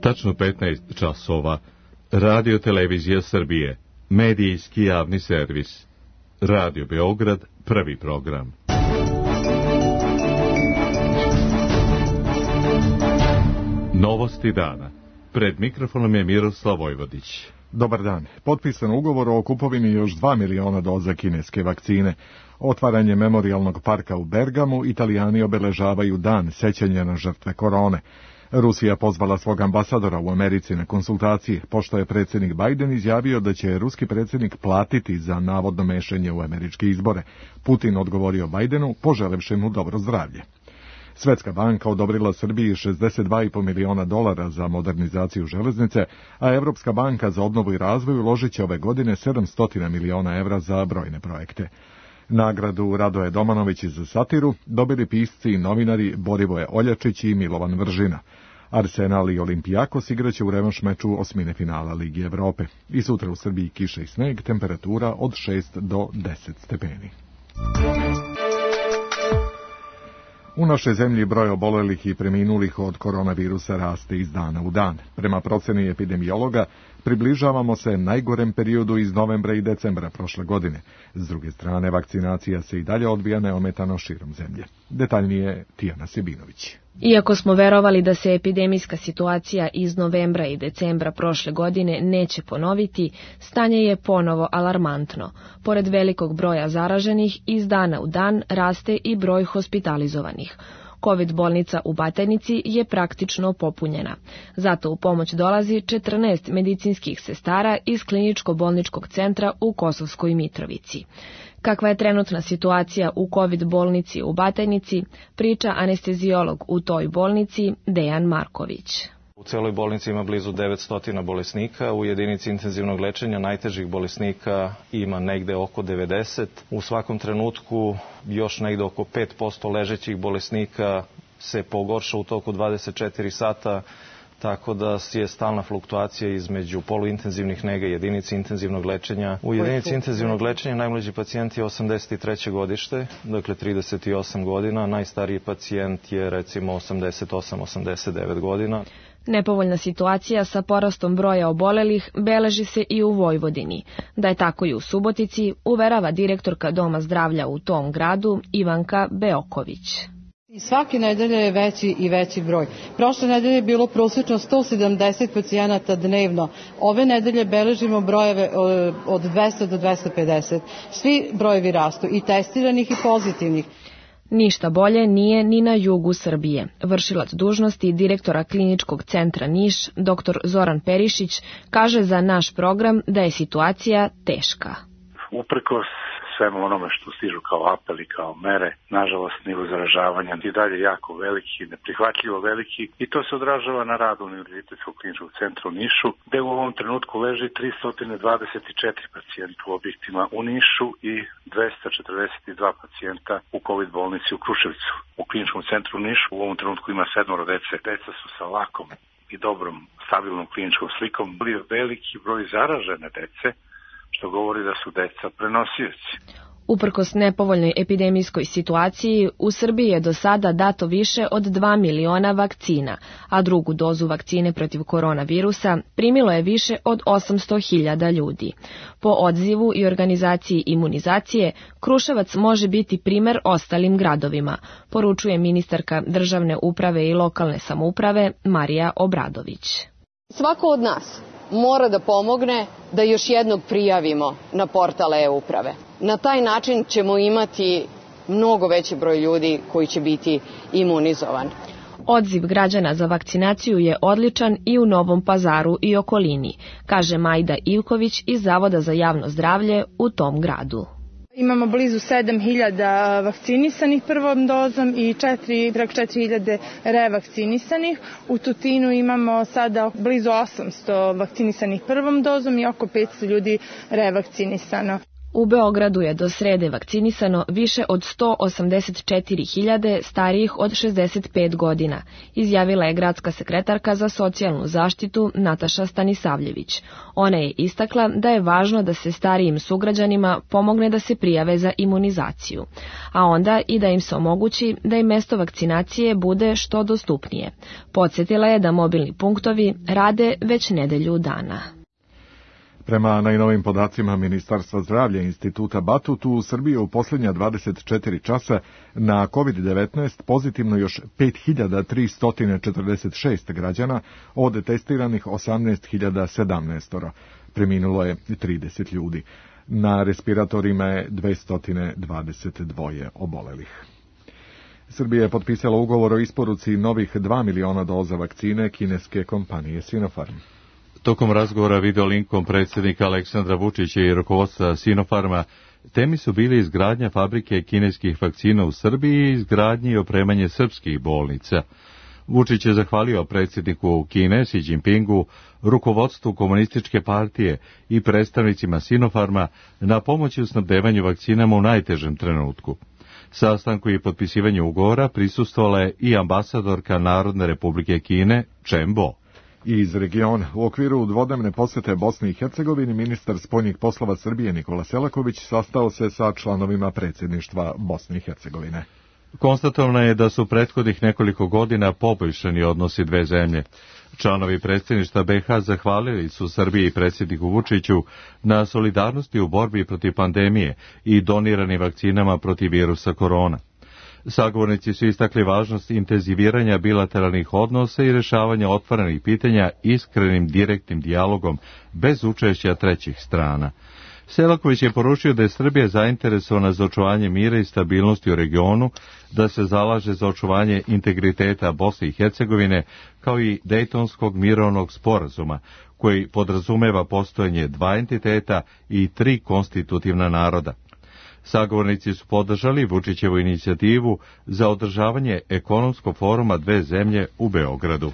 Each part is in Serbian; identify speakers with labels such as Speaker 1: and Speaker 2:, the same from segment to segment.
Speaker 1: Tačno 15 časova. Radio Televizija Srbije. Medijski javni servis. Radio Beograd, prvi program. Novosti dana. Pred mikrofonom je Miroslav Vojvodić.
Speaker 2: Dobar dan. Potpisan ugovor o kupovini još 2 miliona doza kineske vakcine. Otvaranje memorijalnog parka u Bergamu, Italijani obeležavaju dan sećanja na žrtve korone. Rusija pozvala svog ambasadora u Americi na konsultacije, pošto je predsjednik Biden izjavio da će ruski predsjednik platiti za navodno mešanje u američke izbore. Putin odgovorio Bidenu, poželevši mu dobro zdravlje. Svetska banka odobrila Srbiji $62,5 miliona za modernizaciju železnice, a Evropska banka za obnovu i razvoj uložit će ove godine €700 miliona za brojne projekte. Nagradu Radoje Domanović za satiru dobili pisci i novinari Borivoje Oljačić i Milovan Vržina. Arsenal i Olimpijakos igraće u revanš meču osmine finala Ligi Evrope. I sutra u Srbiji kiša i sneg, temperatura od 6 do 10 stepeni. U našoj zemlji broj obolelih i preminulih od koronavirusa raste iz dana u dan. Prema proceni epidemiologa, približavamo se najgorem periodu iz novembra i decembra prošle godine. S druge strane, vakcinacija se i dalje odvija neometano širom zemlje. Detaljnije Tijana Sebinović.
Speaker 3: Iako smo verovali da se epidemijska situacija iz novembra i decembra prošle godine neće ponoviti, stanje je ponovo alarmantno. Pored velikog broja zaraženih, iz dana u dan raste i broj hospitalizovanih. COVID bolnica u Batajnici je praktično popunjena. Zato u pomoć dolazi 14 medicinskih sestara iz kliničko-bolničkog centra u Kosovskoj Mitrovici. Kakva je trenutna situacija u COVID bolnici u Batajnici, priča anesteziolog u toj bolnici Dejan Marković.
Speaker 4: U celoj bolnici ima blizu 900 bolesnika, u jedinici intenzivnog lečenja najtežih bolesnika ima negde oko 90. U svakom trenutku još negde oko 5% ležećih bolesnika se pogorša u toku 24 sata, tako da je stalna fluktuacija između poluintenzivnih nega i jedinici intenzivnog lečenja. U jedinici intenzivnog lečenja najmlađi pacijent je 83. godište, dakle 38 godina, najstariji pacijent je recimo 88-89 godina.
Speaker 3: Nepovoljna situacija sa porastom broja obolelih beleži se i u Vojvodini. Da je tako i u Subotici, uverava direktorka Doma zdravlja u tom gradu Ivanka Beoković.
Speaker 5: I svake nedelje je veći i veći broj. Prošle nedelje je bilo prosječno 170 pacijenata dnevno. Ove nedelje beležimo brojeve od 200 do 250. Svi brojevi rastu, i testiranih i pozitivnih.
Speaker 3: Ništa bolje nije ni na jugu Srbije. Vršilac dužnosti direktora kliničkog centra Niš, dr. Zoran Perišić, kaže za naš program da je situacija teška.
Speaker 6: Uprkos svemu onome što stižu kao apeli, kao mere, nažalost nivo zaražavanja i dalje jako veliki, neprihvatljivo veliki, i to se odražava na radu Univerzitetskog kliničkog centra u Nišu, gde u ovom trenutku leži 324 pacijenta u objektima u Nišu i 242 pacijenta u COVID bolnici u Kruševcu. U kliničkom centru u Nišu u ovom trenutku ima 7 dece. Deca su sa lakom i dobrom, stabilnom kliničkom slikom. Veliki broj zaražene dece, što govori da su deca prenosioci.
Speaker 3: Uprkos nepovoljnoj epidemijskoj situaciji, u Srbiji je do sada dato više od 2 miliona vakcina, a drugu dozu vakcine protiv koronavirusa primilo je više od 800.000 ljudi. Po odzivu i organizaciji imunizacije, Kruševac može biti primer ostalim gradovima, poručuje ministarka državne uprave i lokalne samouprave Marija Obradović.
Speaker 7: Svako od nas mora da pomogne da još jednog prijavimo na portal e-uprave. Na taj način ćemo imati mnogo veći broj ljudi koji će biti imunizovan.
Speaker 3: Odziv građana za vakcinaciju je odličan i u Novom Pazaru i okolini, kaže Majda Ivković iz Zavoda za javno zdravlje u tom gradu.
Speaker 8: Imamo blizu 7.000 vakcinisanih prvom dozom i preko 4.000 revakcinisanih. U Tutinu imamo sada blizu 800 vakcinisanih prvom dozom i oko 500 ljudi revakcinisano.
Speaker 3: U Beogradu je do srede vakcinisano više od 184.000 starijih od 65 godina, izjavila je gradska sekretarka za socijalnu zaštitu Nataša Stanisavljević. Ona je istakla da je važno da se starijim sugrađanima pomogne da se prijave za imunizaciju, a onda i da im se omogući da im mesto vakcinacije bude što dostupnije. Podsjetila je da mobilni punktovi rade već nedelju dana.
Speaker 2: Prema najnovim podacima Ministarstva zdravlja Instituta Batut, u Srbiji u posljednja 24 časa na COVID-19 pozitivno još 5.346 građana, od testiranih 18.017. Preminulo je 30 ljudi. Na respiratorima je 222 obolelih. Srbija je potpisala ugovor o isporuci novih 2 miliona doza vakcine kineske kompanije Sinopharm.
Speaker 1: Tokom razgovora videolinkom predsjednika Aleksandra Vučića i rukovodstva Sinopharma, temi su bili izgradnja fabrike kineskih vakcina u Srbiji i izgradnje i opremanje srpskih bolnica. Vučić je zahvalio predsjedniku Kine Xi Jinpingu, rukovodstvu Komunističke partije i predstavnicima Sinopharma na pomoći u snabdevanju vakcinama u najtežem trenutku. Sastanku i potpisivanju ugovora prisustvovala je i ambasadorka Narodne republike Kine Chen Bo.
Speaker 2: Iz regiona, u okviru dvodnevne posjete Bosni i Hercegovini, ministar spoljnih poslova Srbije Nikola Selaković sastao se sa članovima predsjedništva Bosne i Hercegovine.
Speaker 1: Konstatovano je da su prethodnih nekoliko godina poboljšani odnosi dve zemlje. Članovi predsjedništva BiH zahvalili su Srbiji i predsjedniku Vučiću na solidarnosti u borbi protiv pandemije i doniranim vakcinama protiv virusa korona. Sagovornici su istakli važnost intenziviranja bilateralnih odnosa i rješavanja otvorenih pitanja iskrenim direktnim dijalogom bez učešća trećih strana. Selaković je poručio da je Srbija zainteresovana za očuvanje mira i stabilnosti u regionu, da se zalaže za očuvanje integriteta Bosne i Hercegovine, kao i Dejtonskog mirovnog sporazuma, koji podrazumeva postojanje dva entiteta i tri konstitutivna naroda. Sagovornici su podržali Vučićevu inicijativu za održavanje ekonomskog foruma dve zemlje u Beogradu.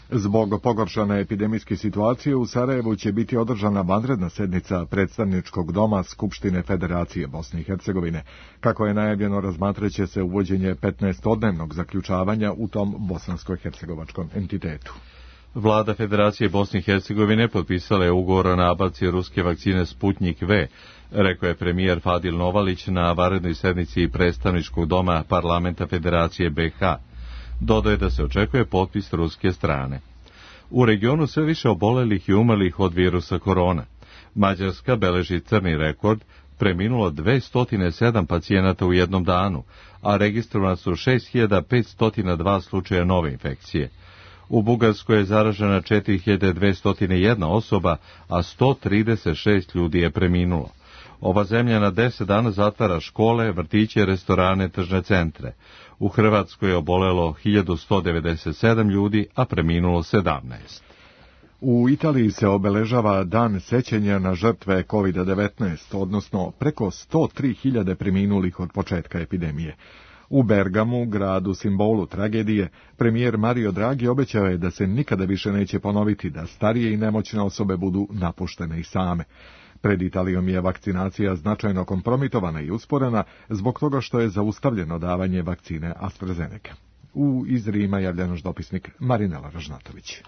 Speaker 2: Zbog pogoršane epidemijske situacije u Sarajevu će biti održana vanredna sednica predstavničkog doma Skupštine Federacije Bosne i Hercegovine. Kako je najavljeno, razmatraće se uvođenje 15-dnevnog zaključavanja u tom bosansko-hercegovačkom entitetu.
Speaker 1: Vlada Federacije Bosne i Hercegovine potpisala je ugovor o nabavci ruske vakcine Sputnik V, rekao je premijer Fadil Novalić na vanrednoj sednici predstavničkog doma Parlamenta Federacije BiH. Dodao je da se očekuje potpis ruske strane. U regionu sve više obolelih i umrlih od virusa korona. Mađarska beleži crni rekord, preminulo 207 pacijenata u jednom danu, a registrovana su 6502 slučaja nove infekcije. U Bugarskoj je zaražena 4201 osoba, a 136 ljudi je preminulo. Ova zemlja na 10 dana zatvara škole, vrtiće, restorane, tržne centre. U Hrvatskoj je obolelo 1197 ljudi, a preminulo 17.
Speaker 2: U Italiji se obeležava dan sećanja na žrtve COVID-19, odnosno preko 103.000 preminulih od početka epidemije. U Bergamu, gradu simbolu tragedije, premijer Mario Draghi obećao je da se nikada više neće ponoviti da starije i nemoćne osobe budu napuštene i same. Pred Italijom je vakcinacija značajno kompromitovana i usporena zbog toga što je zaustavljeno davanje vakcine AstraZeneca. U iz Rima javlja naš dopisnik Marinela Ražnatović.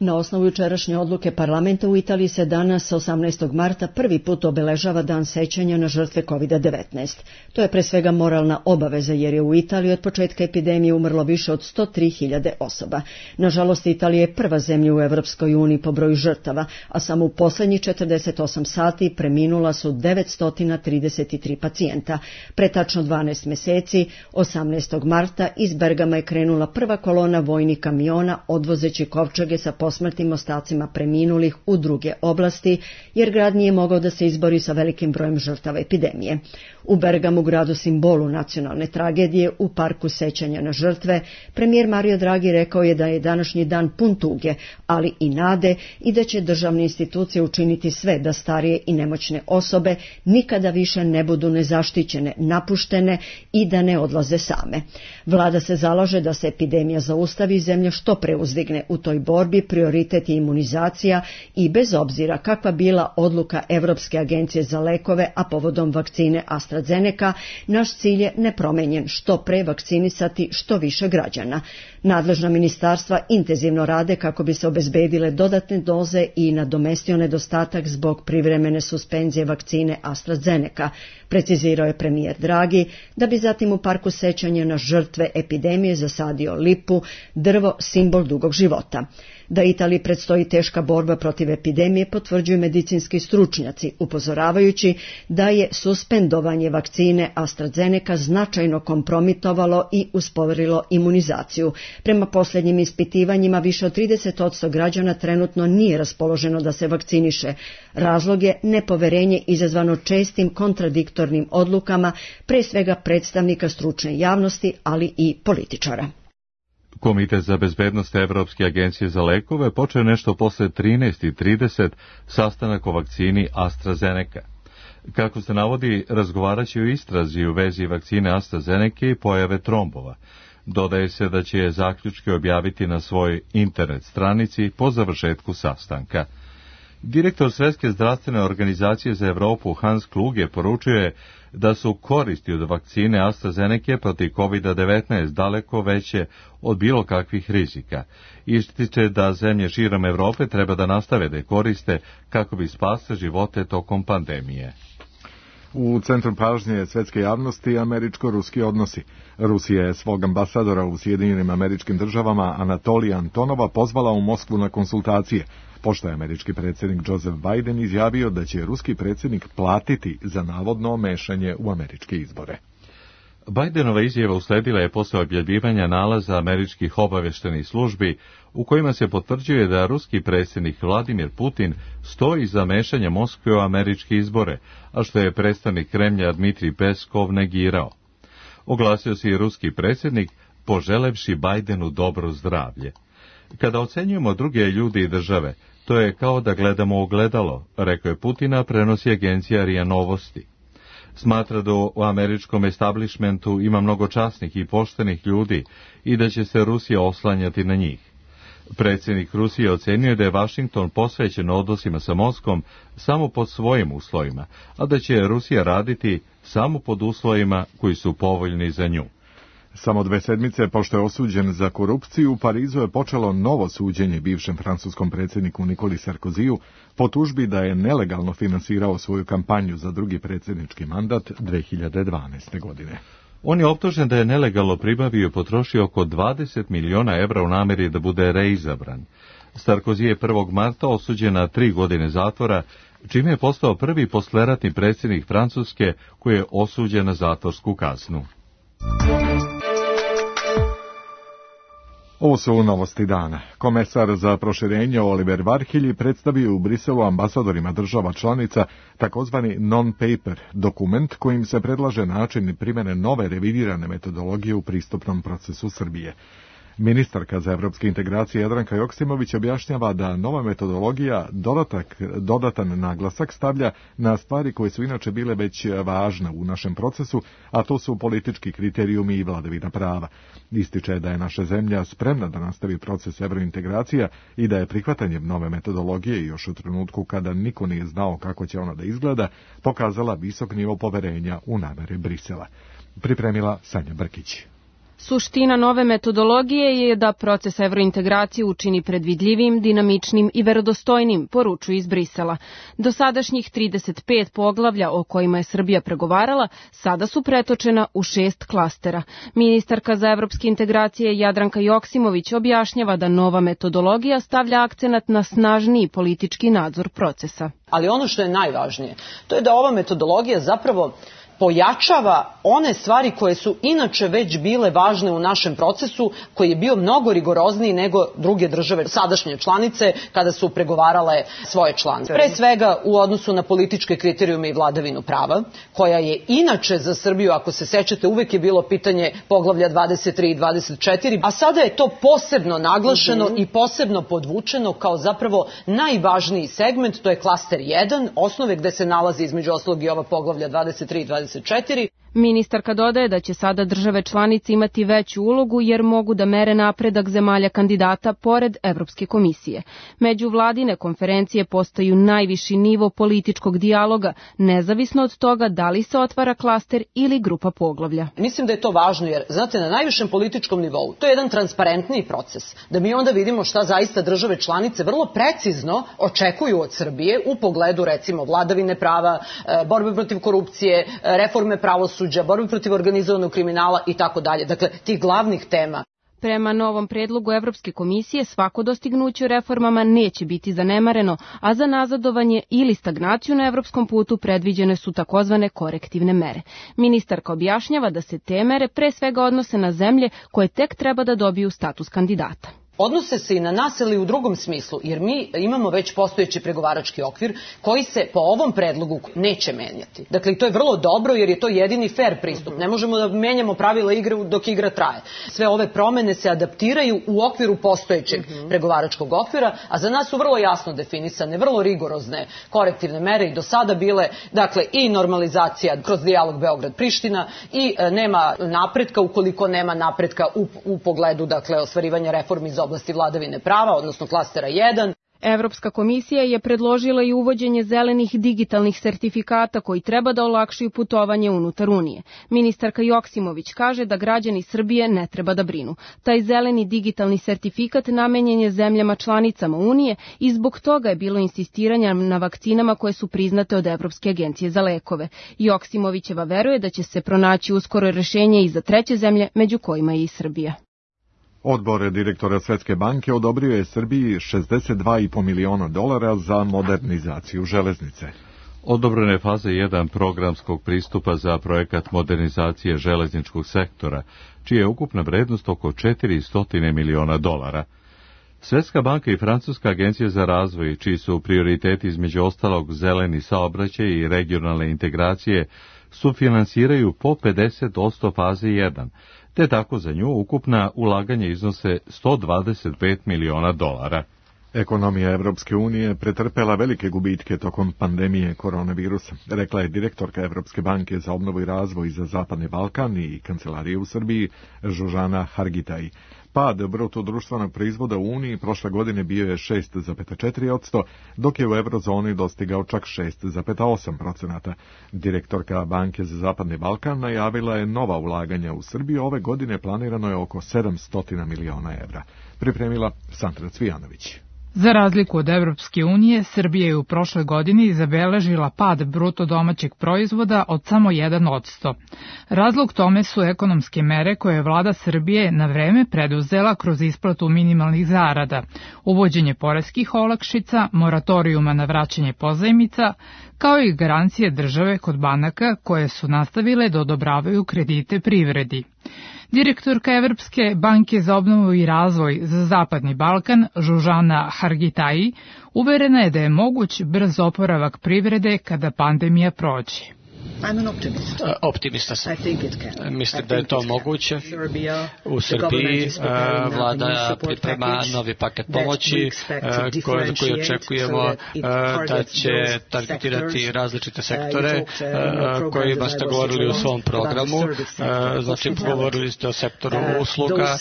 Speaker 9: Na osnovu jučerašnje odluke parlamenta u Italiji se danas, 18. marta, prvi put obeležava dan sećanja na žrtve COVID-19. To je pre svega moralna obaveza jer je u Italiji od početka epidemije umrlo više od 103.000 osoba. Nažalost, Italija je prva zemlja u Evropskoj uniji po broju žrtava, a samo u posljednjih 48 sati preminula su 933 pacijenta. Pre tačno 12 mjeseci, 18. marta, iz Bergama je krenula prva kolona vojnih kamiona odvozeći kovčege sa posmrtnim ostacima preminulih u druge oblasti, jer grad nije mogao da se izbori sa velikim brojem žrtava epidemije. U Bergamu, gradu simbolu nacionalne tragedije, u parku sećanja na žrtve, premijer Mario Draghi rekao je da je današnji dan pun tuge, ali i nade i da će državne institucije učiniti sve da starije i nemoćne osobe nikada više ne budu nezaštićene, napuštene i da ne odlaze same. Vlada se zalaže da se epidemija zaustavi i zemlja što pre uzdigne u toj borbi pri prioritet je imunizacija i bez obzira kakva bila odluka Evropske agencije za lekove, a povodom vakcine AstraZeneca, naš cilj je nepromenjen, što pre vakcinisati što više građana. Nadležna ministarstva intenzivno rade kako bi se obezbedile dodatne doze i nadomestio nedostatak zbog privremene suspenzije vakcine AstraZeneca, precizirao je premijer Draghi, da bi zatim u parku sećanja na žrtve epidemije zasadio lipu, drvo simbol dugog života. Da Italiji predstoji teška borba protiv epidemije potvrđuju medicinski stručnjaci, upozoravajući da je suspendovanje vakcine AstraZeneca značajno kompromitovalo i usporilo imunizaciju. Prema posljednjim ispitivanjima, više od 30% građana trenutno nije raspoloženo da se vakciniše. Razlog je nepoverenje izazvano čestim kontradiktornim odlukama, pre svega predstavnika stručne javnosti, ali i političara.
Speaker 1: Komitet za bezbednost Evropske agencije za lekove počeo nešto posle 13:30 sastanak o vakcini AstraZeneca. Kako se navodi, razgovaraće o istrazi u vezi vakcine AstraZeneca i pojave trombova. Dodaje se da će zaključke objaviti na svojoj internet stranici po završetku sastanka. Direktor Svetske zdravstvene organizacije za Evropu Hans Kluge poručuje da su koristi od vakcine AstraZeneca protiv COVID-19 daleko veće od bilo kakvih rizika. Ističe da zemlje širom Evrope treba da nastave da je koriste kako bi spasle živote tokom pandemije.
Speaker 2: U centru pažnje svetske javnosti američko-ruski odnosi. Rusija je svog ambasadora u Sjedinjenim Američkim Državama Anatolija Antonova pozvala u Moskvu na konsultacije, pošto je američki predsjednik Joseph Biden izjavio da će ruski predsjednik platiti za navodno mešanje u američke izbore.
Speaker 1: Bidenova izjava usledila je posle objavljivanja nalaza američkih obaveštenih službi u kojima se potvrđuje da ruski predsjednik Vladimir Putin stoji za mešanje Moskve u američke izbore, a što je predstavnik Kremlja Dmitrij Peskov negirao. Oglasio se i ruski predsjednik, poželevši Bidenu dobro zdravlje. Kada ocenjujemo druge ljudi i države, to je kao da gledamo ogledalo, rekao je Putina, prenosi agencija RIA Novosti. Smatra da u američkom establishmentu ima mnogo časnih i poštenih ljudi i da će se Rusija oslanjati na njih. Predsjednik Rusije ocenio da je Vašington posvećen odnosima sa Moskvom samo pod svojim uslovima, a da će Rusija raditi samo pod uslovima koji su povoljni za nju.
Speaker 2: Samo 2 sedmice pošto je osuđen za korupciju, u Parizu je počelo novo suđenje bivšem francuskom predsjedniku Nikoli Sarkoziju po tužbi da je nelegalno finansirao svoju kampanju za drugi predsjednički mandat 2012. godine.
Speaker 1: On je optužen da je nelegalno pribavio i potrošio oko 20 miliona evra u nameri da bude reizabran. Sarkozy je 1. marta osuđen na 3 godine zatvora, čime je postao prvi posleratni predsjednik Francuske koji je osuđen na zatvorsku kaznu.
Speaker 2: Ovo su novosti dana. Komesar za proširenje Oliver Varhelyi predstavio u Briselu ambasadorima država članica takozvani non-paper dokument kojim se predlaže način primjene nove revidirane metodologije u pristupnom procesu Srbije. Ministarka za evropske integracije Jadranka Joksimović objašnjava da nova metodologija dodatan naglasak stavlja na stvari koje su inače bile već važne u našem procesu, a to su politički kriterijumi i vladavina prava. Ističe da je naša zemlja spremna da nastavi proces evrointegracija i da je prihvatanjem nove metodologije još u trenutku kada niko nije znao kako će ona da izgleda, pokazala visok nivo poverenja u namere Brisela. Pripremila Sanja Brkić.
Speaker 10: Suština nove metodologije je da proces evrointegracije učini predvidljivim, dinamičnim i verodostojnim, poručuju iz Brisela. Dosadašnjih 35 poglavlja o kojima je Srbija pregovarala sada su pretočena u 6 klastera. Ministarka za evropske integracije Jadranka Joksimović objašnjava da nova metodologija stavlja akcenat na snažniji politički nadzor procesa.
Speaker 11: Ali ono što je najvažnije, to je da ova metodologija zapravo pojačava one stvari koje su inače već bile važne u našem procesu, koji je bio mnogo rigorozniji nego druge države sadašnje članice kada su pregovarale svoje članice. Pre svega u odnosu na političke kriterijume i vladavinu prava, koja je inače za Srbiju, ako se sećate, uvek je bilo pitanje poglavlja 23 i 24, a sada je to posebno naglašeno i posebno podvučeno kao zapravo najvažniji segment, to je klaster 1, osnove gde se nalazi između ostalog i ova poglavlja 23 i 24.
Speaker 10: Ministarka dodaje da će sada države članice imati veću ulogu jer mogu da mere napredak zemalja kandidata pored Evropske komisije. Međuvladine konferencije postaju najviši nivo političkog dijaloga, nezavisno od toga da li se otvara klaster ili grupa poglavlja.
Speaker 11: Mislim da je to važno jer, znate, na najvišem političkom nivou to je jedan transparentniji proces, da mi onda vidimo šta zaista države članice vrlo precizno očekuju od Srbije u pogledu, recimo, vladavine prava, borbe protiv korupcije, reforme pravosuđa, borbe protiv organizovanog kriminala i tako dalje. Dakle, tih glavnih tema.
Speaker 10: Prema novom predlogu Evropske komisije svako dostignuće u reformama neće biti zanemareno, a za nazadovanje ili stagnaciju na evropskom putu predviđene su takozvane korektivne mere. Ministarka objašnjava da se te mere pre svega odnose na zemlje koje tek treba da dobiju status kandidata.
Speaker 11: Odnose se i na nas, ali u drugom smislu, jer mi imamo već postojeći pregovarački okvir koji se po ovom predlogu neće menjati. Dakle, to je vrlo dobro jer je to jedini fair pristup. Ne možemo da menjamo pravila igre dok igra traje. Sve ove promene se adaptiraju u okviru postojećeg pregovaračkog okvira, a za nas su vrlo jasno definisane, vrlo rigorozne korektivne mere i do sada bile, dakle, i normalizacija kroz dijalog Beograd-Priština i nema napretka ukoliko nema napretka u pogledu, dakle, ostvarivanja reformi iz oblasti vladavine prava, odnosno klastera 1.
Speaker 10: Evropska komisija je predložila i uvođenje zelenih digitalnih sertifikata koji treba da olakšaju putovanje unutar Unije. Ministarka Joksimović kaže da građani Srbije ne treba da brinu. Taj zeleni digitalni sertifikat namenjen je zemljama članicama Unije i zbog toga je bilo insistiranja na vakcinama koje su priznate od Evropske agencije za lekove. Joksimovićeva veruje da će se pronaći uskoro rešenje i za treće zemlje, među kojima je i Srbija.
Speaker 2: Odbor direktora Svetske banke odobrio je Srbiji $62,5 miliona za modernizaciju železnice.
Speaker 1: Odobrena je faza 1 programskog pristupa za projekat modernizacije železničkog sektora, čija je ukupna vrednost oko $400 miliona. Svetska banka i Francuska agencija za razvoj, čiji su prioriteti između ostalog zeleni saobraćaj i regionalne integracije, sufinansiraju po 50% faze 1, te tako za nju ukupna ulaganja iznose $125 miliona.
Speaker 2: Ekonomija Evropske unije pretrpela velike gubitke tokom pandemije koronavirusa, rekla je direktorka Evropske banke za obnovu i razvoj za Zapadni Balkan i kancelarije u Srbiji Žužana Hargitaj. Pad bruto društvenog proizvoda u Uniji prošle godine bio je 6,4%, dok je u eurozoni dostigao čak 6,8%. Direktorka Banke za Zapadni Balkan najavila je nova ulaganja u Srbiju. Ove godine planirano je oko €700 miliona. Pripremila Sandra Cvijanović.
Speaker 12: Za razliku od Evropske unije, Srbija je u prošloj godini zabeležila pad bruto domaćeg proizvoda od samo 1%. Razlog tome su ekonomske mere koje je vlada Srbije na vreme preduzela kroz isplatu minimalnih zarada, uvođenje poreskih olakšica, moratorijuma na vraćanje pozajmica, kao i garancije države kod banaka koje su nastavile da odobravaju kredite privredi. Direktorka Evropske banke za obnovu i razvoj za Zapadni Balkan, Žužana Hargitai, uverena je da je moguć brz oporavak privrede kada pandemija prođe.
Speaker 13: Optimista sam. Mislim da je to moguće. U Srbiji vlada priprema novi paket pomoći koji očekujemo da će targetirati različite sektore kojima ste govorili u svom programu. Znači, govorili ste o sektoru usluga.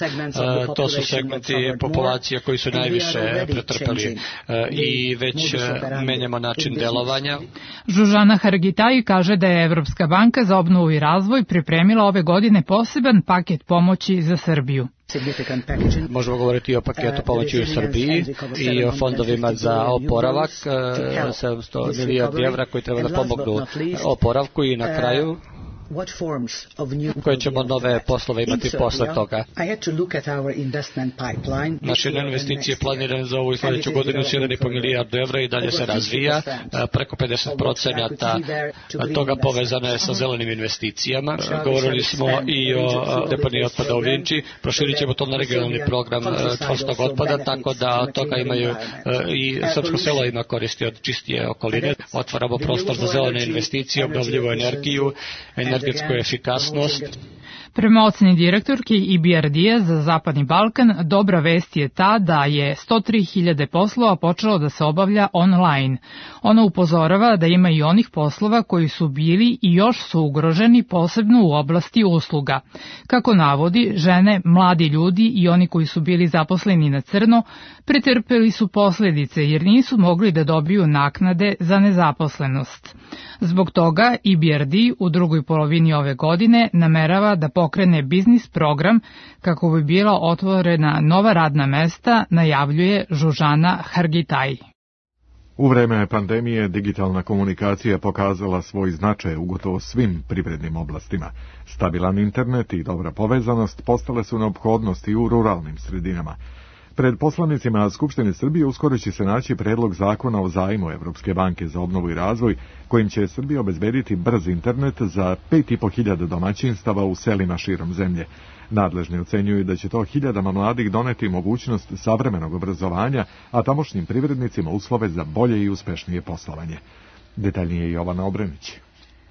Speaker 13: To su segmenti populacije koji su najviše pretrpeli i već menjamo način delovanja.
Speaker 12: Žužana Hargitai kaže da je Evropska banka za obnovu i razvoj pripremila ove godine poseban paket pomoći za Srbiju.
Speaker 13: Možemo govoriti i o paketu pomoći u Srbiji i o fondovima za oporavak, 700 milijardi evra koji treba da pomognu oporavku i na kraju koje ćemo nove poslove imati posle toga. Naše investicije planirane za ovu i sljedeću godinu su 1,5 milijardu evra i dalje se razvija. Preko 50% toga povezano je sa zelenim investicijama. Govorili smo i o deponiji otpada u Vinči. Proširit ćemo to na regionalni program čvrstog otpada, tako da od toga imaju i srpsko selo ima koristi od čistije okoline. Otvaramo prostor za zelene investicije, obnovljivu energiju, energetsku efikasnost.
Speaker 12: Prema oceni direktorke EBRD-a za Zapadni Balkan, dobra vest je ta da je 103.000 poslova počelo da se obavlja online. Ona upozorava da ima i onih poslova koji su bili i još su ugroženi, posebno u oblasti usluga. Kako navodi, žene, mladi ljudi i oni koji su bili zaposleni na crno pretrpeli su posljedice jer nisu mogli da dobiju naknade za nezaposlenost. Zbog toga EBRD u drugoj polovini ove godine namerava da pokrene biznis program kako bi bila otvorena nova radna mesta, najavljuje Žužana Hargitaj.
Speaker 2: U vreme pandemije digitalna komunikacija pokazala svoj značaj u gotovo svim privrednim oblastima. Stabilan internet i dobra povezanost postale su neophodnosti u ruralnim sredinama. Pred poslanicima Skupštine Srbije uskoro će se naći predlog zakona o zajmu Evropske banke za obnovu i razvoj, kojim će Srbija obezbediti brz internet za 5.500 domaćinstava u selima širom zemlje. Nadležni ocenjuju da će to hiljadama mladih doneti mogućnost savremenog obrazovanja, a tamošnjim privrednicima uslove za bolje i uspešnije poslovanje. Detaljnije Jovana Obrenić.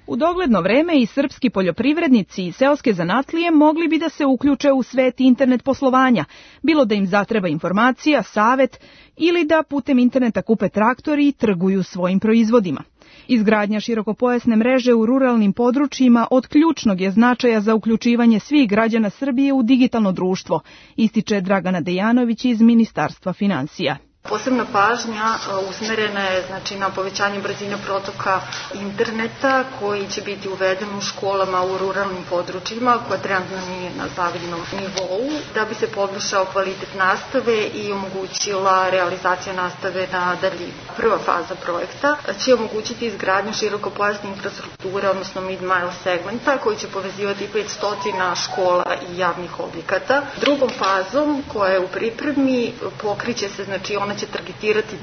Speaker 14: U dogledno vreme i srpski poljoprivrednici i seoske zanatlije mogli bi da se uključe u svet internet poslovanja, bilo da im zatreba informacija, savet ili da putem interneta kupe traktor i trguju svojim proizvodima. Izgradnja širokopojasne mreže u ruralnim područjima od ključnog je značaja za uključivanje svih građana Srbije u digitalno društvo, ističe Dragana Dejanović iz Ministarstva finansija.
Speaker 15: Posebna pažnja usmerena je na povećanje brzine protoka interneta koji će biti uveden u školama u ruralnim područjima koja trenutno nije na zavidnom nivou da bi se poboljšao kvalitet nastave i omogućila realizacija nastave na daljinu. Prva faza projekta će omogućiti izgradnju širokopojasne infrastrukture, odnosno mid-mile segmenta koji će povezivati 500 škola i javnih objekata. Drugom fazom koja je u pripremi pokriće se, ona će targetirati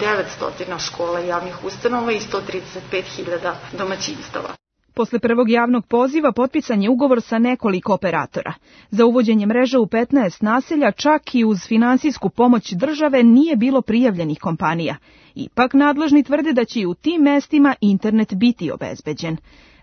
Speaker 15: 900 škola i javnih ustanova i 135.000 domaćinstava.
Speaker 14: Posle prvog javnog poziva potpisan je ugovor sa nekoliko operatora. Za uvođenje mreže u 15 naselja, čak i uz finansijsku pomoć države, nije bilo prijavljenih kompanija. Ipak nadležni tvrde da će i u tim mestima internet biti obezbeđen.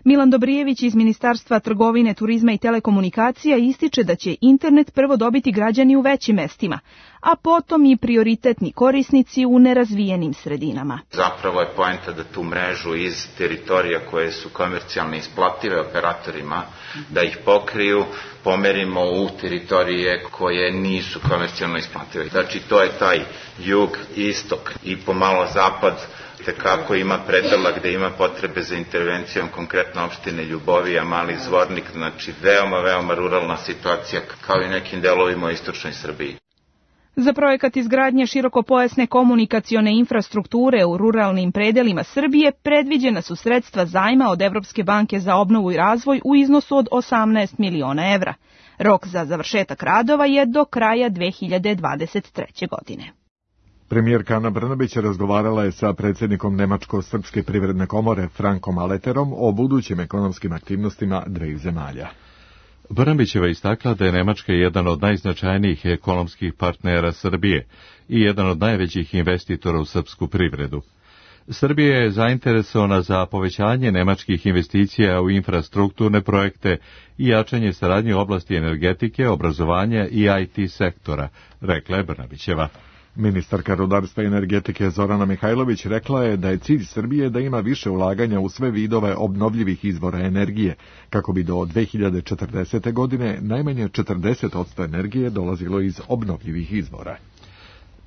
Speaker 14: Milan Dobrijević iz Ministarstva trgovine, turizma i telekomunikacija ističe da će internet prvo dobiti građani u većim mestima, a potom i prioritetni korisnici u nerazvijenim sredinama.
Speaker 16: Zapravo je poenta da tu mrežu iz teritorija koje su komercijalno isplative operatorima, da ih pokriju, pomerimo u teritorije koje nisu komercijalno isplative. Znači to je taj jug, istok i pomalo zapad, kako ima predela gde ima potrebe za intervencijom, konkretno opštine Ljubovija, Mali Zvornik, znači veoma ruralna situacija kao i nekim delovima u istočnoj Srbiji.
Speaker 14: Za projekat izgradnje širokopojasne komunikacione infrastrukture u ruralnim predelima Srbije predviđena su sredstva zajma od Evropske banke za obnovu i razvoj u iznosu od 18 miliona evra. Rok za završetak radova je do kraja 2023. godine.
Speaker 2: Premijerka Ana Brnabić razgovarala je sa predsjednikom Nemačko-srpske privredne komore Frankom Aleterom o budućim ekonomskim aktivnostima dveju zemalja.
Speaker 1: Brnabićeva istakla da je Nemačka jedan od najznačajnijih ekonomskih partnera Srbije i jedan od najvećih investitora u srpsku privredu. Srbija je zainteresovana za povećanje nemačkih investicija u infrastrukturne projekte i jačanje saradnje u oblasti energetike, obrazovanja i IT sektora, rekla je Brnabićeva.
Speaker 2: Ministarka rudarstva i energetike Zorana Mihajlović rekla je da je cilj Srbije da ima više ulaganja u sve vidove obnovljivih izvora energije, kako bi do 2040. godine najmanje 40% energije dolazilo iz obnovljivih izvora.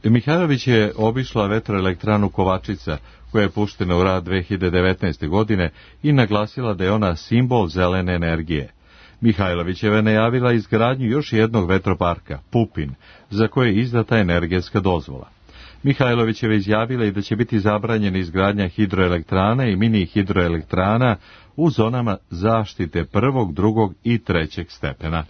Speaker 1: Mihajlović je obišla vetroelektranu Kovačica, koja je puštena u rad 2019. godine i naglasila da je ona simbol zelene energije. Mihajlovićeva je najavila izgradnju još jednog vetroparka, Pupin, za koje je izdata energetska dozvola. Mihajlovićeva je izjavila i da će biti zabranjena izgradnja hidroelektrana i mini hidroelektrana u zonama zaštite prvog, drugog i trećeg stepena.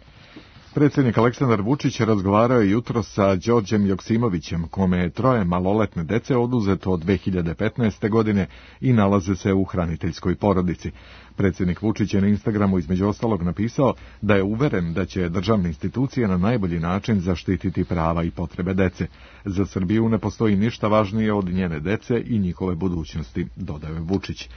Speaker 2: Predsjednik Aleksandar Vučić razgovarao je jutros sa Đorđem Joksimovićem, kome je 3 maloletne dece oduzeto od 2015. godine i nalaze se u hraniteljskoj porodici. Predsjednik Vučić je na Instagramu između ostalog napisao da je uveren da će državne institucije na najbolji način zaštititi prava i potrebe dece. Za Srbiju ne postoji ništa važnije od njene dece i njihove budućnosti, dodao je Vučić.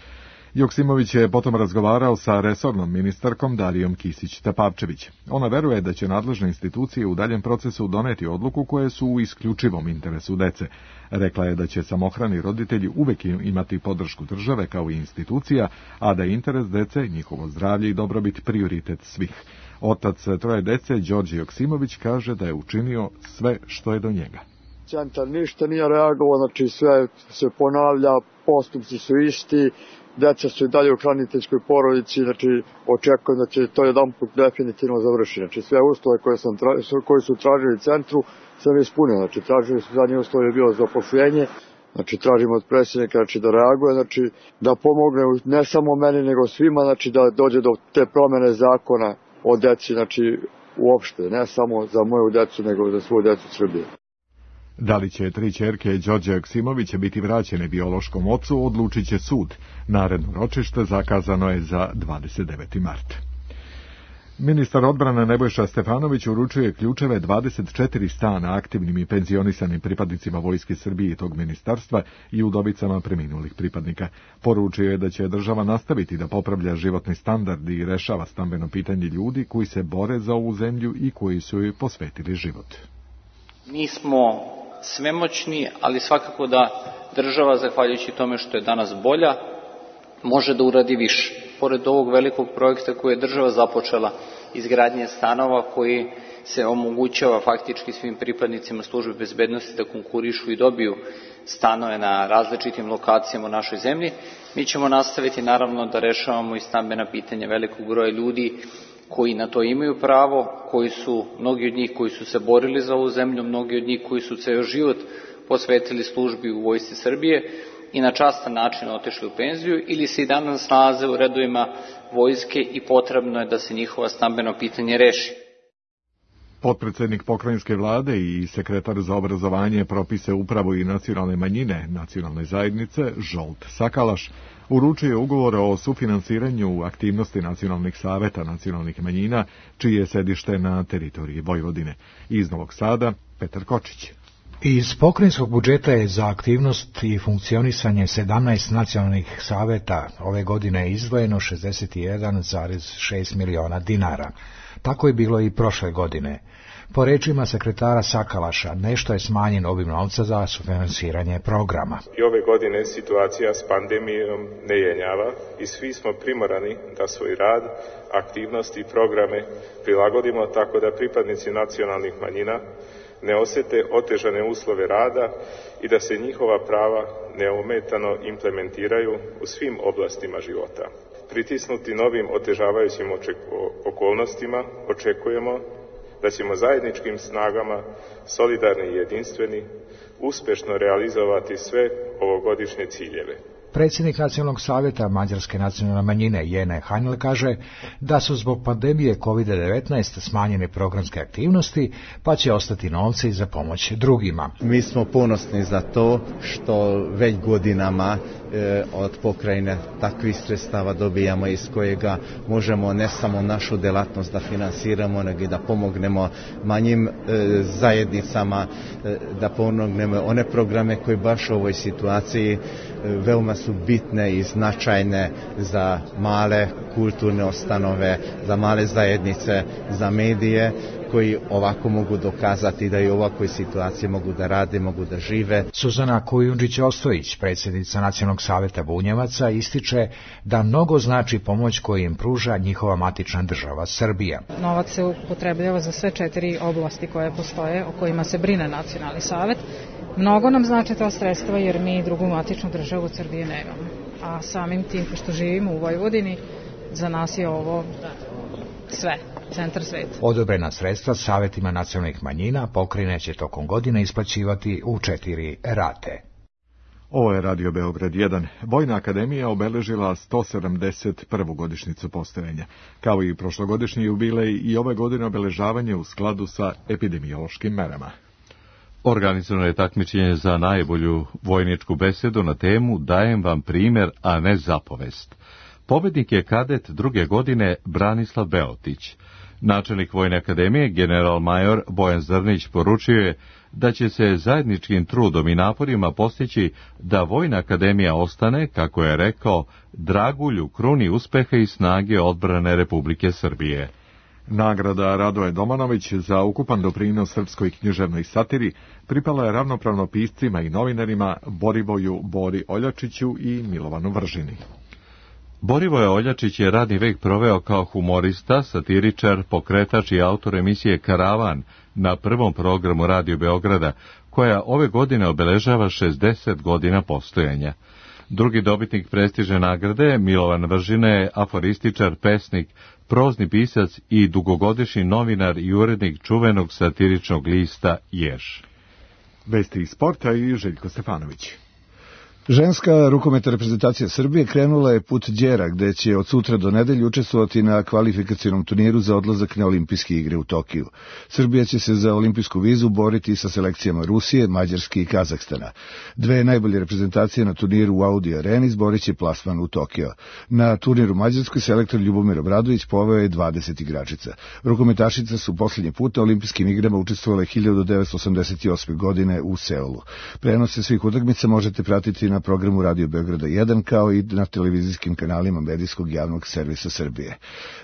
Speaker 2: Joksimović je potom razgovarao sa resornom ministarkom Darijom Kisić-Tepavčević. Ona veruje da će nadležne institucije u daljem procesu doneti odluku koje su u isključivom interesu dece. Rekla je da će samohrani roditelji uvek imati podršku države kao i institucija, a da je interes dece, njihovo zdravlje i dobrobit prioritet svih. Otac troje dece, Đorđe Joksimović, kaže da je učinio sve što je do njega.
Speaker 17: Centar ništa nije reagovao, znači sve se ponavlja, postupci su isti, deca su i dalje u hraniteljskoj porodici, znači očekujem da će to jedanput definitivno završiti. Znači sve uslove koje su tražili centru sam ispunio, znači tražili su zadnji uslov je bilo zaposlenje, znači tražimo od predsjednika znači, da reaguje, znači da pomogne ne samo meni nego svima, znači da dođe do te promjene zakona o deci, znači uopšte, ne samo za moju decu nego za svoju decu Srbije.
Speaker 2: Da li će 3 ćerke Đorđa Joksimovića biti vraćene biološkom ocu, odlučit će sud. Naredno ročište zakazano je za 29. mart. Ministar odbrane Nebojša Stefanović uručuje ključeve 24 stana aktivnim i penzionisanim pripadnicima Vojske Srbije i tog ministarstva i udovicama preminulih pripadnika. Poručio je da će država nastaviti da popravlja životni standard i rešava stambeno pitanje ljudi koji se bore za ovu zemlju i koji su joj posvetili život.
Speaker 18: Mi smo svemoćni, ali svakako da država, zahvaljujući tome što je danas bolja, može da uradi više. Pored ovog velikog projekta koji je država započela, izgradnje stanova koji se omogućava faktički svim pripadnicima službe bezbednosti da konkurišu i dobiju stanove na različitim lokacijama u našoj zemlji, mi ćemo nastaviti naravno da rešavamo i stambena pitanja velikog broja ljudi koji na to imaju pravo, mnogi od njih koji su se borili za ovu zemlju, mnogi od njih koji su ceo život posvetili službi u Vojsci Srbije i na častan način otišli u penziju ili se i danas nalaze u redovima vojske i potrebno je da se njihova stambeno pitanje reši.
Speaker 2: Potpredsednik pokrajinske vlade i sekretar za obrazovanje, propise, upravu i nacionalne manjine nacionalne zajednice Žolt Sakalaš uručuje ugovor o sufinansiranju aktivnosti nacionalnih saveta nacionalnih manjina, čije je sedište na teritoriji Vojvodine. Iz Novog Sada, Petar Kočić.
Speaker 19: Iz pokrajinskog budžeta je za aktivnost i funkcionisanje 17 nacionalnih saveta ove godine izdvojeno 61,6 miliona dinara. Tako je bilo i prošle godine. Po rečima sekretara Sakalaša, nešto je smanjen obim novca za sufinansiranje programa.
Speaker 20: I ove godine situacija s pandemijom ne jenjava i svi smo primorani da svoj rad, aktivnosti i programe prilagodimo tako da pripadnici nacionalnih manjina ne osete otežane uslove rada i da se njihova prava neometano implementiraju u svim oblastima života. Pritisnuti novim otežavajućim okolnostima, očekujemo da ćemo zajedničkim snagama, solidarni i jedinstveni, uspešno realizovati sve ovogodišnje ciljeve.
Speaker 19: Predsjednik Nacionalnog savjeta Mađarske nacionalne manjine Jene Hanjel kaže da su zbog pandemije COVID-19 smanjene programske aktivnosti, pa će ostati novci za pomoć drugima.
Speaker 21: Mi smo ponosni za to što već godinama od pokrajine takvih sredstava dobijamo iz kojega možemo ne samo našu delatnost da finansiramo, nego i da pomognemo manjim zajednicama, da pomognemo one programe koji baš u ovoj situaciji veoma su bitne i značajne za male kulturne ustanove, za male zajednice, za medije koji ovako mogu dokazati da i u ovakvoj situaciji mogu da rade, mogu da žive.
Speaker 19: Suzana Kujundžić-Ostojić, predsjednica Nacionalnog savjeta Bunjevaca, ističe da mnogo znači pomoć koju im pruža njihova matična država Srbija.
Speaker 22: Novac se upotrebljava za sve 4 oblasti koje postoje, o kojima se brine Nacionalni savjet. Mnogo nam znači to sredstva jer mi drugu matičnu državu od Srbije nemamo. A samim tim, pošto živimo u Vojvodini, za nas je ovo sve, centar sveta.
Speaker 19: Odobrena sredstva savjetima nacionalnih manjina pokrajine će tokom godine isplaćivati u 4 rate.
Speaker 2: Ovo je Radio Beograd 1. Vojna akademija obeležila 171. godišnjicu postojanja. Kao i prošlogodišnji jubilej i ove godine obeležavanje u skladu sa epidemiološkim merama.
Speaker 1: Organizovano je takmičenje za najbolju vojničku besedu na temu Dajem vam primjer, a ne zapovest. Pobednik je kadet druge godine Branislav Beotić. Načelnik Vojne akademije, general major Bojan Zrnić, poručio je da će se zajedničkim trudom i naporima postići da Vojna akademija ostane, kako je rekao, dragulj u kruni uspeha i snage odbrane Republike Srbije.
Speaker 2: Nagrada Radoje Domanović za ukupan doprinos srpskoj književnoj satiri pripala je ravnopravno piscima i novinarima Borivoju Bori Oljačiću i Milovanu Vržini.
Speaker 1: Borivoje Oljačić je radni vek proveo kao humorista, satiričar, pokretač i autor emisije Karavan na prvom programu Radio Beograda, koja ove godine obeležava 60 godina postojanja. Drugi dobitnik prestižne nagrade, Milovan Vržina, je aforističar, pesnik, prozni pisac i dugogodišnji novinar i urednik čuvenog satiričnog lista Jež.
Speaker 2: Vesti iz sporta i Željko Stefanović.
Speaker 4: Ženska rukometna reprezentacija Srbije krenula je put Đera, gde će od sutra do nedelje učestvovati na kvalifikacionom turniru za odlazak na olimpijske igre u Tokiju. Srbija će se za olimpijsku vizu boriti sa selekcijama Rusije, Mađarske i Kazahstana. Dve najbolje reprezentacije na turniru u Audi Areni zborit će plasman u Tokio. Na turniru Mađarskoj selektor Ljubomir Obradović poveo je 20 igračica. Rukometašice su posljednji put na olimpijskim igrama učestvovale 1988. godine u Seulu. Prenose svih utakmica možete pratiti na programu Radio Beograda 1 kao i na televizijskim kanalima medijskog javnog servisa Srbije.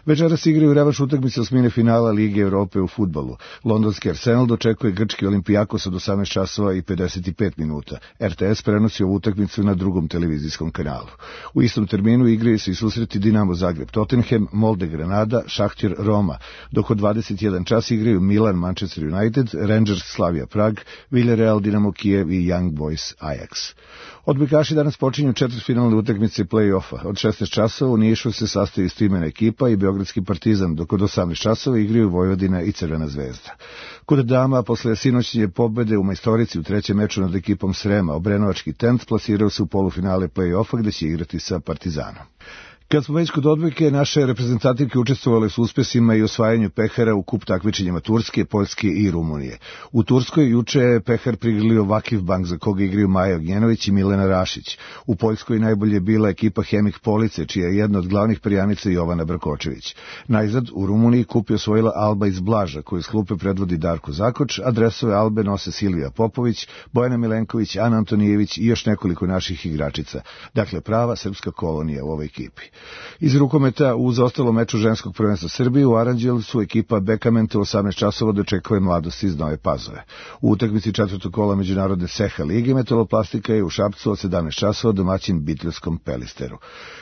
Speaker 4: Večeras igraju revanš utakmice osmine finala Lige Evrope u fudbalu. Londonski Arsenal dočekuje grčki Olimpijakos od 18 časova i 55 minuta. RTS prenosi ovu utakmicu na drugom televizijskom kanalu. U istom terminu igraju se i susreti Dinamo Zagreb Tottenham, Molde Granada, Šahtir Roma, dok od 21 čas igraju Milan Manchester United, Rangers Slavia Prag, Villarreal Dinamo Kijev i Young Boys Ajax. Odbojkaši danas počinju četvrtfinalne utakmice play-offa. Od 16 časova u Nišu se sastoji streamena ekipa i Beogradski Partizan, dok od 18 časova igraju Vojvodina i Crvena zvezda. Kod dama, posle sinoćnje pobede u Majstorici u trećem meču nad ekipom Srema, Obrenovački Tent plasirao se u polufinale play-offa gde će igrati sa Partizanom. Kad smo već kod odbojke, naše reprezentativke učestvovale su uspesima i osvajanju pehara u kup takmičenjima Turske, Poljske i Rumunije. U Turskoj juče je pehar prigrlio Vakiv Bank, za koga igraju Maja Ognjenović i Milena Rašić. U Poljskoj najbolje bila ekipa Hemik Police, čija je jedna od glavnih perjanica Jovana Brkočević. Najzad, u Rumuniji kup je osvojila Alba iz Blaža, koju s klupe predvodi Darko Zakoč, a dresove Albe nose Silvija Popović, Bojana Milenković, Ana Antonijević i još nekoliko naših igračica. Dakle, prava srpska kolonija u ovoj ekipi. Iz rukometa u zaostalom meču ženskog prvenstva Srbije u Aranđelovcu ekipa Bekamenta u 18 časova dočekuje Mladost iz Nove Pazove. U utakmici četvrtog kola međunarodne Seha lige Metaloplastika je u Šapcu od 17 časova domaćin Bitljevskom Pelisteru.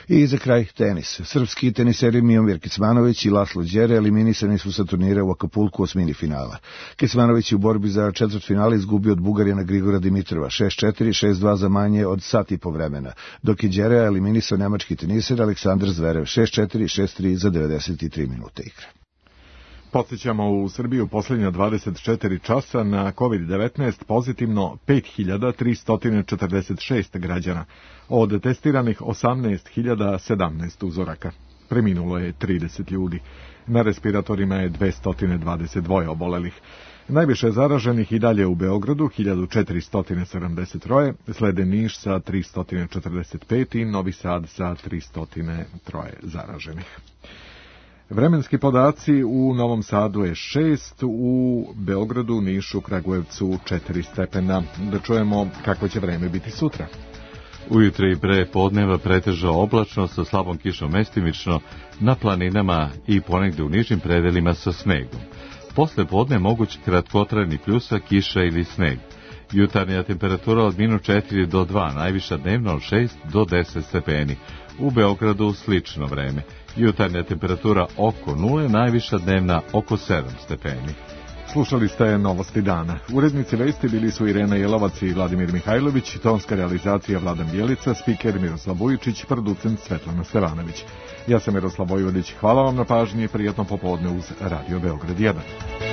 Speaker 4: I za kraj tenis. Srpski teniseri Mijomir Kecmanović i Laslo Đere eliminisani su sa turnira u Akapulku osmini finala. Kecmanović je u borbi za četvrtfinale izgubio od Bugarina Grigora Dimitrova 6-4, 6-2 za manje od sat i po vremena, dok je Đere eliminisao nemački teniser Aleksandar Zverev 6-4, 6-3 za 93 minute igre.
Speaker 2: Podsjećamo, u Srbiji u posljednja 24 časa na COVID-19 pozitivno 5346 građana, od testiranih 18.017 uzoraka. Preminulo je 30 ljudi. Na respiratorima je 222 obolelih. Najviše zaraženih i dalje u Beogradu, 1473, slede Niš sa 345 i Novi Sad sa 303 zaraženih. Vremenski podaci: u Novom Sadu je 6, u Beogradu, Nišu, Kragujevcu 4 stepena. Da čujemo kako će vreme biti sutra.
Speaker 1: Ujutro i pre podneva pretežno oblačno sa slabom kišom mestimično, na planinama i ponegde u nižim predelima sa snegom. Posle podne moguć kratkotrajni pljusak, kiša ili sneg. Jutarnja temperatura od -4 do 2, najviša dnevna od 6 do 10 stepeni. U Beogradu slično vreme. Jutarnja temperatura oko 0, najviša dnevna oko 7 stepeni.
Speaker 2: Slušali ste Novosti dana. Urednici vesti bili su Irena Jelovac i Vladimir Mihajlović, tonska realizacija Vladan Bjelica, spiker Miroslav Vujičić, producent Svetlana Stevanović. Ja sam Miroslav Vojvodić. Hvala vam na pažnji i prijatno popodne uz Radio Beograd 1.